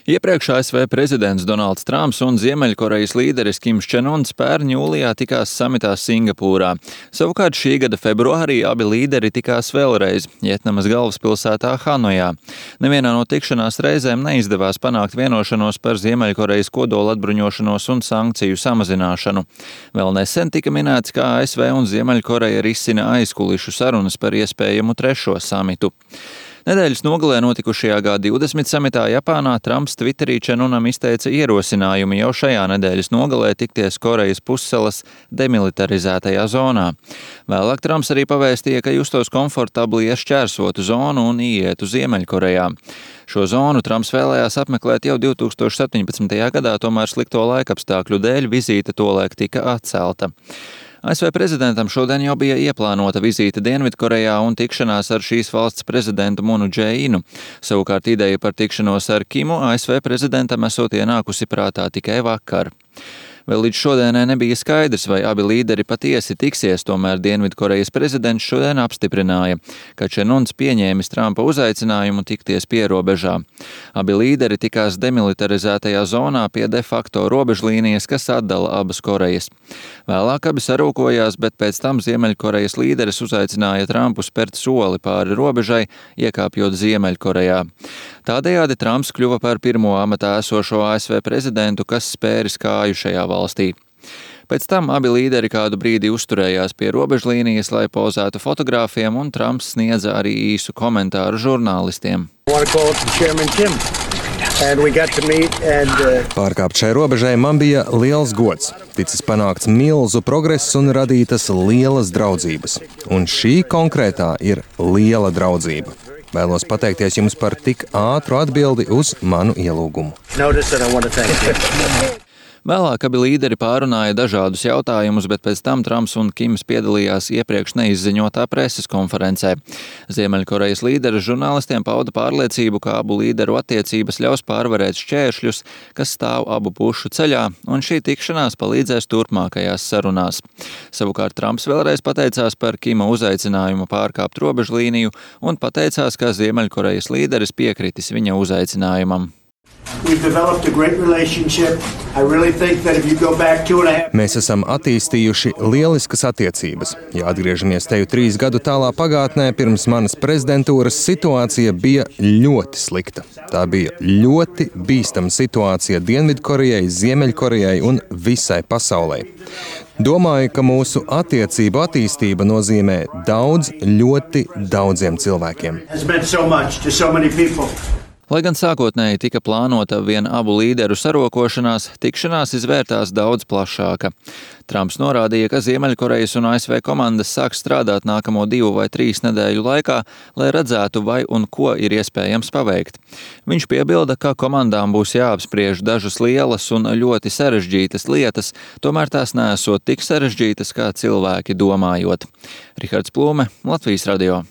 Iepriekš ASV prezidents Donalds Trumps un Ziemeļkorejas līderis Kims Čen Uns pērn jūlijā tikās samitā Singapūrā. Savukārt šī gada februārī abi līderi tikās vēlreiz Vjetnamas galvaspilsētā Hanojā. Nevienā no tikšanās reizēm neizdevās panākt vienošanos par Ziemeļkorejas kodola atbruņošanos un sankciju samazināšanu. Vēl nesen tika minēts, ka ASV un Ziemeļkoreja risina aizkulišu sarunas par iespējamu trešo samitu. Nedēļas nogalē notikušajā G20 samitā Japānā Trumps Twitterī Čen Unam izteica ierosinājumu jau šajā nedēļas nogalē tikties Korejas pussalas demilitarizētajā zonā. Vēlāk Trumps arī pavēstīja, ka justos komfortabli iešķērsotu zonu un ietu Ziemeļkorejā. Šo zonu Trumps vēlējās apmeklēt jau 2017. gadā, tomēr slikto laikapstākļu dēļ vizīte tolaik tika atcelta. ASV prezidentam šodien jau bija ieplānota vizīte Dienvidkorejā un tikšanās ar šīs valsts prezidentu Munu Džeinu. Savukārt ideja par tikšanos ar Kimu ASV prezidentam esot ienākusi prātā tikai vakar. Vēl līdz šodienai nebija skaidrs, vai abi līderi patiesi tiksies, tomēr Dienvidkorejas prezidents šodien apstiprināja, ka Čen Uns pieņēmis Trumpa uzaicinājumu tikties pierobežā. Abi līderi tikās demilitarizētajā zonā pie de facto robežlīnijas, kas atdala abas Korejas. Vēlāk abi sarūkojās, bet pēc tam Ziemeļkorejas līderis uzaicināja Trumpu spērt soli pāri robežai, iekāpjot Ziemeļkorejā. Tādējādi Trumps kļuva par pirmo amatā esošo ASV prezidentu, kas spēris kāju šajā valstī. Pēc tam abi līderi kādu brīdi uzturējās pie robežlīnijas, lai pozētu fotogrāfiem, un Trumps sniedza arī īsu komentāru žurnālistiem. Pārkāpt šai robežai man bija liels gods. Ticis panākts milzu progress un radītas lielas draudzības. Un šī konkrētā ir liela draudzība. Vēlos pateikties jums par tik ātru atbildi uz manu ielūgumu. Vēlāk abi līderi pārunāja dažādus jautājumus, bet pēc tam Trumps un Kims piedalījās iepriekš neizziņotā preses konferencē. Ziemeļkorejas līderis žurnālistiem pauda pārliecību, ka abu līderu attiecības ļaus pārvarēt šķēršļus, kas stāv abu pušu ceļā, un šī tikšanās palīdzēs turpmākajās sarunās. Savukārt Trumps vēlreiz pateicās par Kima uzaicinājumu pārkāpt robežlīniju un pateicās, ka Ziemeļkorejas līderis piekritis viņa uzaicinājumam. Mēs esam attīstījuši lieliskas attiecības. Ja atgriežamies teju 3 gadu tālā pagātnē, pirms manas prezidentūras situācija bija ļoti slikta. Tā bija ļoti bīstama situācija Dienvidkorejai, Ziemeļkorejai un visai pasaulē. Domāju, ka mūsu attiecību attīstība nozīmē daudz, ļoti daudziem cilvēkiem. Lai gan sākotnēji tika plānota vien abu līderu sarokošanās, tikšanās izvērtās daudz plašāka. Trumps norādīja, ka Ziemeļkorejas un ASV komandas sāks strādāt nākamo 2 vai 3 nedēļu laikā, lai redzētu, vai un ko ir iespējams paveikt. Viņš piebilda, ka komandām būs jāapspriež dažas lielas un ļoti sarežģītas lietas, tomēr tās neesot tik sarežģītas, kā cilvēki domājot. Rihards Plūme, Latvijas radio.